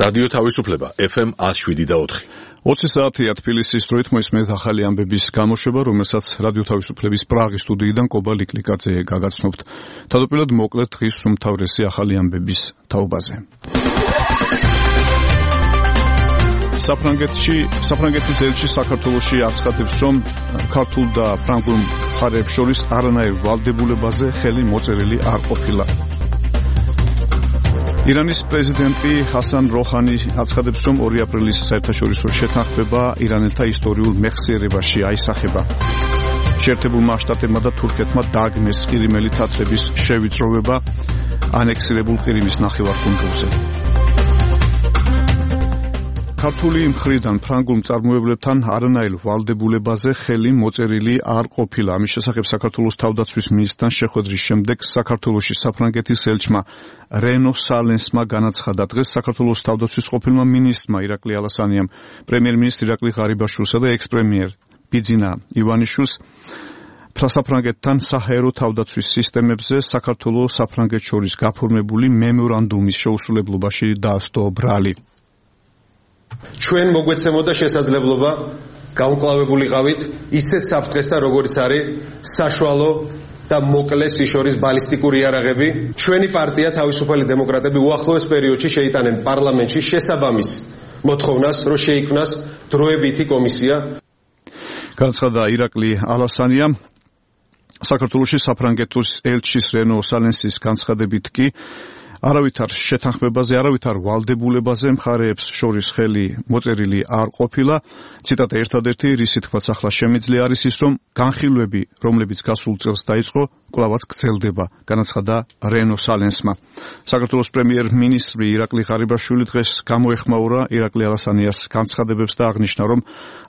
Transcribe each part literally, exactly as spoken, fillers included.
რადიო თავისუფლება ეფ ემ one oh seven და four. ოცი საათია თბილისის დროით მოისმენთ ახალი ამბების გამოშვება, რომელსაც რადიო თავისუფლების პრაღის სტუდიიდან კობა ლიკლიკაძე გაგაცნობთ. თავდაპირველად მოკლედ დღის უმთავრესი ახალი ამბების თაობაზე. საფრანგეთში, საფრანგეთის ელჩი საქართველოში აცხადებს, რომ ქართულ და ფრანგულ მხარეებს შორის არანაირ ვალდებულებაზე ხელი მოწერილი არ ყოფილა. ირანის პრეზიდენტი ჰასან როჰანი აცხადებს, რომ ორი აპრილის საერთაშორისო შეთანხმება ირანელთა ისტორიულ მეხსიერებაში აისახება. შეერთებულმა შტატებმა და თურქეთმა დააგნეს ყირიმელი თათრების შევიწროვება ანექსირებულ ყირიმის ნახევარკუნძულზე. ქართული მხრიდან ფრანგულ მწარმოებლებთან არანაირ ვალდებულებაზე ხელი მოწერილი არ ყოფილა. ამის შესახებ საქართველოს თავდაცვის მინისტრთან შეხვედრის შემდეგ საქართველოში საფრანგეთის ელჩმა რენო სალენსმა განაცხადა. დღეს საქართველოს თავდაცვის ყოფილმა მინისტრმა ირაკლი ალასანიამ, პრემიერ-მინისტრ ირაკლი ღარიბაშვილსა და ექს-პრემიერ ბიძინა ივანიშვილს საფრანგეთთან საჰაერო თავდაცვის სისტემებზე საქართველოს საფრანგეთს შორის გაფორმებული მემორანდუმის შეუსრულებლობაში დაასტო ბრალი. ჩვენ მოგვეცემოდა შესაძლებლობა გაუმკლავებულიყავით ისეთ საფრთხესთან, როგორც არის საშუალო და მოკლე სიშორის ბალისტიკური იარაღები. ჩვენი პარტია თავისუფალი დემოკრატები უახლოეს პერიოდში შეიტანენ პარლამენტში შესაბამის მოთხოვნას, რომ შეიქმნას დროებითი კომისია. განაცხადა ირაკლი ალასანიამ. საქართველოში საფრანგეთის ელჩის რენო სალენსის განცხადებით კი არავითარ შეთანხმებაზე, არავითარ ვალდებულებაზე მხარეებს შორის ხელი მოწერილი არ ყოფილა. ციტატა ერთადერთი, რისი თქმაც ახლა შემიძლია არის ის, რომ განხილვები, რომლებიც გასულ წელს დაიწყო, კვლავაც გრძელდება, განაცხადა რენო სალენსმა. საქართველოს პრემიერ-მინისტრი ირაკლი ღარიბაშვილი დღეს გამოეხმაურა ირაკლი ალასანიას განცხადებებს და აღნიშნა, რომ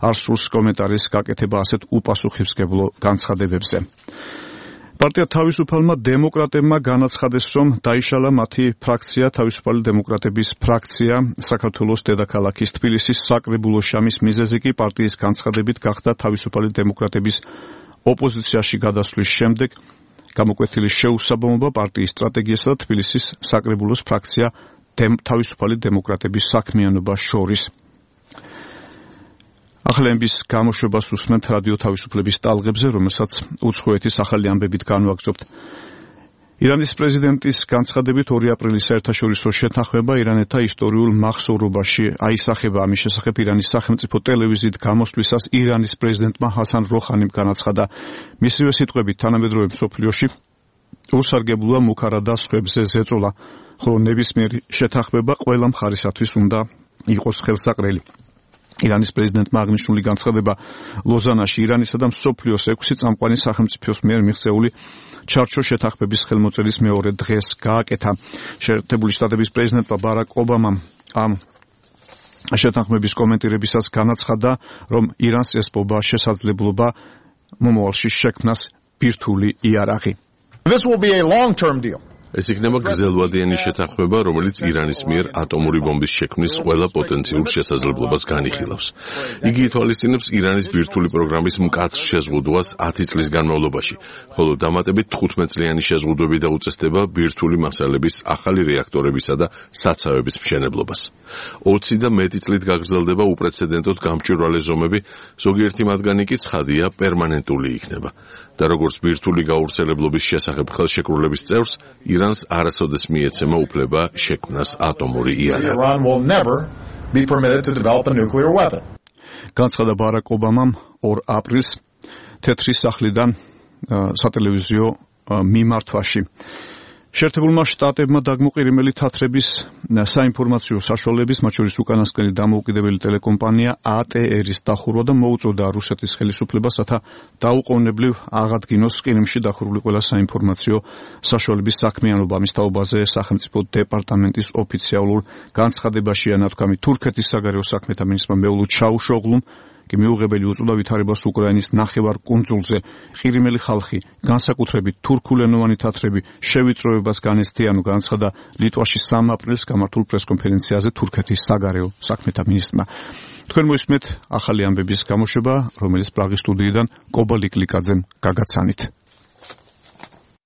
არ სურს კომენტარის გაკეთება ასეთ უპასუხისმგებლო განცხადებებზე. პარტია თავისუფალმა დემოკრატებმა განაცხადეს, რომ დაიშალა მათი ფრაქცია, თავისუფალი დემოკრატების ფრაქცია საქართველოს დედაქალაქის თბილისის საკრებულოში. ამის მიზეზი კი პარტიის განცხადებით გახდა თავისუფალი დემოკრატების ოპოზიციაში გადასვლის შემდეგ გამოკვეთილი შეუსაბამობა პარტიის სტრატეგიასა და თბილისის საკრებულოს ფრაქცია თავისუფალი დემოკრატების საქმიანობას შორის. ახალების გამოშვებას უსმენთ რადიო თავისუფლების ტალღებზე, რომელსაც უცხოეთის ახალი ამბებით განვაგრძობთ. ირანის პრეზიდენტის განცხადებით ორი აპრილის საერთაშორისო შეთანხმება ირანელთა ისტორიულ მახსოვრობაში აისახება. ამის შესახებ ირანის სახელმწიფო ტელევიზიით გამოსვლისას ირანის პრეზიდენტმა ჰასან როჰანიმ განაცხადა. მისივე სიტყვებით თანამედროვე მსოფლიოში უსარგებლოა მუქარა და სხვებზე ზეწოლა, ხოლო ნებისმიერი შეთანხმება ყველა მხარისათვის უნდა იყოს ხელსაყრელი. ირანის პრეზიდენტმა აღნიშნული განცხადება ლოზანაში ირანისა და მსოფლიოს ექვსი წამყვანი სახელმწიფოს მიერ მიღწეული ჩარჩო შეთანხმების ხელმოწერის მეორე დღეს გააკეთა. შეერთებული შტატების პრეზიდენტმა ბარაკ ობამამ ამ შეთანხმების კომენტირებისას განაცხადა, რომ ირანს ესპობა შესაძლებლობა მომავალში შექმნას ბირთვული იარაღი. This will be a long-term deal. ეს იქნება გრძელვადიანი შეთანხმება, რომელიც ირანის მიერ ატომური ბომბის შექმნის ყველა პოტენციურ შესაძლებლობას განიხილავს. იგი ითვალისწინებს ირანის ბირთვული პროგრამის მკაცრ შეზღუდვას ათი წლის განმავლობაში, ხოლო დამატებით თხუთმეტ წლიანი შეზღუდვები და უწესდება ბირთვული მასალების ახალი რეაქტორებისა და საცავების მშენებლობას. ოცი და მეტი წლით გაგრძელდება უპრეცედენტოდ გამჭვირვალე ზომები, ზოგიერთი მათგანი კი ცხადია პერმანენტული იქნება. და როგორც ბირთვული გავრცელებლობის შესახებ ხელშეკრულების წევრს, ირანს არასოდეს მიეცემა უფლება შექმნას ატომური იარაღი. განაცხადა ბარაკ ობამამ ორ აპრილს თეთრი სახლიდან სატელევიზიო მიმართვაში. შეერთებულმა შტატებმა დაგმოყირიმელი თათრების საინფორმაციო საშუალებების, მათ შორის უკანასკნელი დამოუკიდებელი ტელეკომპანია ა ტე ერის დახურვა და მოუწოდა რუსეთის ხელისუფლებას, რათა დაუყოვნებლივ აღადგინოს ყირიმში დახურული ყველა საინფორმაციო საშუალების საქმიანობა. ამის თაობაზე სახელმწიფო დეპარტამენტის ოფიციალურ განცხადებაშია ნათქვამი. თურქეთის საგარეო საქმეთა მინისტრმა მეულუდ ჩაუშოღლუმ კი მიუღებელი უწოდა ვითარებას უკრაინის ნახევარკუნძულზე. ყირიმელი ხალხი, განსაკუთრებით თურქულენოვანი თათრები შევიწროებას განიცდიან, განაცხადა ლიტვაში სამი აპრილის გამართულ პრესკონფერენციაზე თურქეთის საგარეო საქმეთა მინისტრმა. თქვენ მოისმენთ ახალი ამბების გამოშვება, რომელიც პრაღის სტუდიიდან კობა ლიკლიკაძემ გაგაცანით.